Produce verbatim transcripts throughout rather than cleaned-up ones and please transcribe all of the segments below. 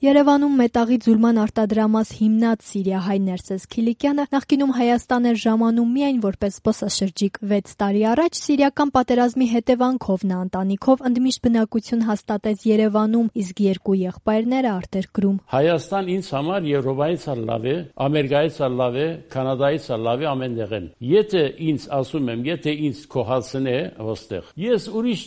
Երևանում մետաղի ձուլման արտադրամաս հիմնած սիրիահայ Ներսես Քիլիկյանը նախկինում Հայաստան էր ժամանում միայն որպես զբոսաշրջիկ։ վեց տարի առաջ սիրիական պատերազմի հետևանքով նա ընտանիքով ընդմիշտ բնակություն հաստատեց Երևանում, իսկ երկու եղբայրները արտերկրում։ Հայաստան ինձ համար Եվրոպայից էլ լավ է, Ամերիկայից էլ լավ է, Կանադայից էլ լավ է, ամենտեղ են։ Եթե ինձ ասում եմ, եթե ինձ կոհացնե ոստեղ, ես ուրիշ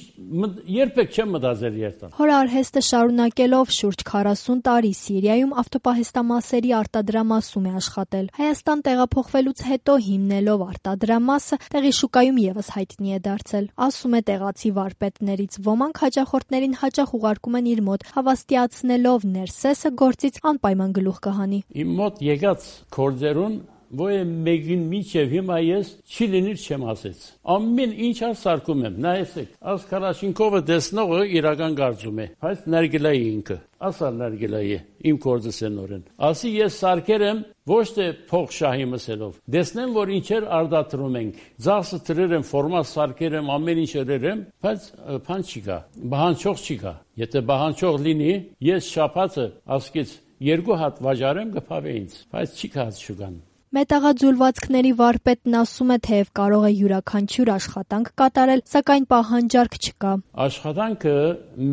երբեք չեմ մտածել երթալ։ Հոր արհեստը շարունակելով շուրջ քառասուն տարի Սիրիայում ավտոպահեստամասերի արտադրամասում է աշխատել։ Հայաստան տեղափոխվելուց հետո հիմնելով արտադրամասը տեղի շուկայում եւս հայտնի է դարձել։ Ասում է տեղացի վարպետներից ոմանք հաճախորդներին հաճախ ուղարկում են իր մոտ, հավաստիացնելով Ներսեսը գործից անպայման գլուխ կհանի։ Իմ մոտ եկած կորձերուն Ոյ մեկին միջև հիմա ես չի լինիր չեմ ասեց։ Ամեն ինչ սարքում եմ, նայեցեք, աս Քալաշինկովը տեսնողը իրական կարծում է, բայց նարգելայի ինքը, ասա նարգելայի, իմ կորձս է նորեն։ Ասի ես սարքեր եմ ոչ թե փող շահի մսելով, տեսնեմ, որ ինչեր արդատրում ենք, ձախսը թրեր եմ, ֆորմա սարքեր եմ, ամեն ինչ երեր եմ, բայց բան չի գա, բահանչող չի գա։ Եթե բահանչող լինի, ես շաբաթը ասկից երկու հատ վաճառեմ կփավե ինձ, բայց չի գա շուկան։ Մետաղաձուլվածքների վարպետն ասում է, թեև կարող է յուրաքանչյուր աշխատանք կատարել, սակայն պահանջարկ չկա։ Աշխատանքը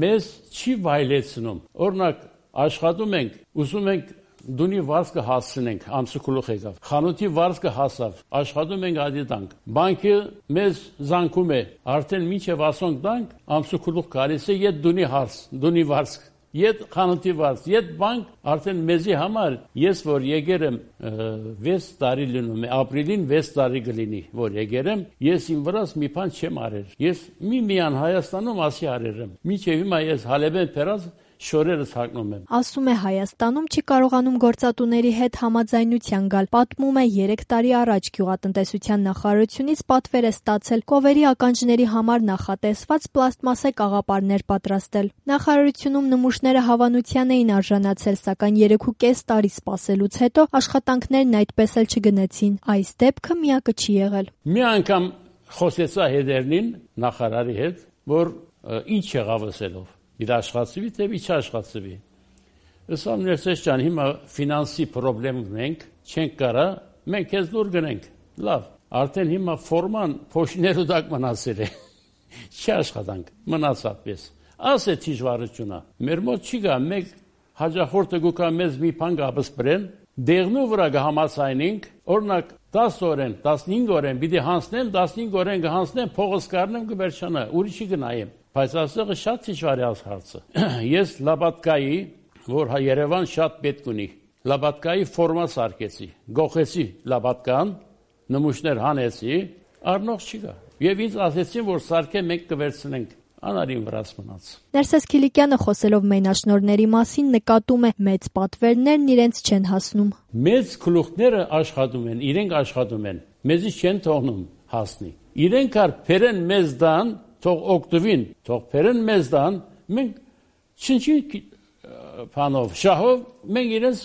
մեզ չի վայելեցնում։ Օրինակ, աշխատում ենք, ուզում ենք դունի վարձքը հասցնենք, ամսուկուլուխ եկավ։ Խանութի վարձքը հասավ, աշխատում ենք ադիտանք։ Բանկը մեզ զանգում է, արդեն մինչև ասոնք տանք, ամսուկուլուխ գալիս է, ետ դունի հարց, դունի վարձք։ Ետ խանութի վարձ, ետ բանկ արդեն մեզի համար, ես որ եկեր եմ վեց տարի լինում է, ապրիլին վեց տարի գլինի, որ եկեր եմ, ես իմ վրաս մի բան չեմ արել, ես մի միան Հայաստանում ասի արել եմ, մինչև հիմա ես հալեբեն պերած շորերս հագնում եմ։ Ասում է Հայաստանում չի կարողանում գործատուների հետ համաձայնության գալ, պատմում է երեք տարի առաջ գյուղատնտեսության նախարարությունից պատվեր է ստացել կովերի ականջների համար նախատեսված պլաստմասե կաղապարներ պատրաստել։ Նախարարությունում նմուշները հավանության էին արժանացել, սակայն երեքուկես տարի սպասելուց հետո աշխատանքներն այդպես էլ չգնեցին։ Այս դեպքը միակը չի եղել։ Մի անգամ խոսեցա հետերնին նախարարի հետ, որ ինչ եղավ ասելով։ Իր աշխատվի, թե չաշխատվի։ Ըսամ Ներսես ջան, հիմա ֆինանսի պրոբլեմ ունենք, չենք կարա, մենք քեզ դուր գնենք։ Լավ, արդեն հիմա ֆորման փոշիներու դակ մնացել է։ Չի աշխատանք, մնացածպես։ Ասե դժվարությունա։ Մեր մոտ չի գա, մեկ հաջախորդը գուկա մեզ մի բան գաբսպրեն, դեղնու վրա կհամաձայնենք, օրինակ դաս օրեն, տասնհինգ օրեն, պիտի հանցնեմ, տասնհինգ օրեն կհանցնեմ, փողս կառնեմ կվերջանա, ուրիշի գնայեմ։ Բայց ասեղը շատ դժվար է հարցը։ Ես լաբատկայի, որ Երևան շատ պետք ունի, լաբատկայի ֆորմա սարքեցի, գողեցի լաբատկան, նմուշներ հանեցի, առնող չկա։ Եվ ինձ ասեցին, որ սարքե մենք կվերցնենք, անարին վրաց մնաց։ Ներսես Քիլիկյանը խոսելով մենաշնորհների մասին նկատում է մեծ պատվերներն իրենց չեն հասնում։ Մեծ գլուխները աշխատում են, իրենք աշխատում են, մեզի չեն թողնում հասնի։ Իրենք ար փերեն մեզ դան թող օգտվին, թող փերեն մեզ դան, մենք չնչի փանով, շահով, մենք իրենց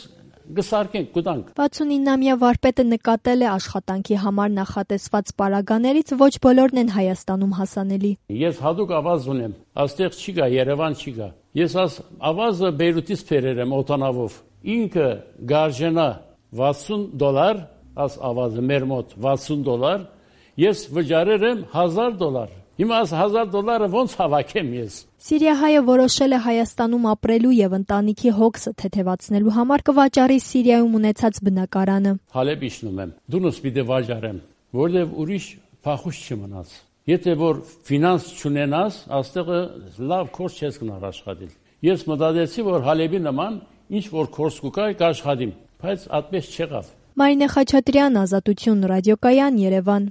գսարկենք, կուտանք։ վաթսունինամյա վարպետը նկատել է աշխատանքի համար նախատեսված պարագաներից ոչ բոլորն են Հայաստանում հասանելի։ Ես հատուկ ավազ ունեմ, աստեղ չի գա, Երևան չի գա։ Ես աս ավազը Բեյրութից փերեր եմ օտանավով, ինքը գարժենա վաթսուն դոլար, աս ավազը մեր մոտ վաթսուն դոլար, ես վճարեր եմ հազար դոլար։ Հիմա հազար դոլարը ոնց հավաքեմ ես։ Սիրիահայը որոշել է Հայաստանում ապրելու եւ ընտանիքի հոգսը թեթևացնելու համար կվաճառի Սիրիայում ունեցած բնակարանը։ Հալեբ իջնում եմ, դունուս պիտի վաճառեմ, որովհետեւ ուրիշ փախուս չմնաց։ Եթե որ ֆինանս չունենաս, աստեղը լավ կորս չես գնար աշխատել։ Ես մտածեցի, որ Հալեբի նման ինչ որ կորս կուկա կաշխատիմ, բայց այդպես չեղավ։ Մարինե Խաչատրյան, Ազատություն ռադիոկայան, Երևան։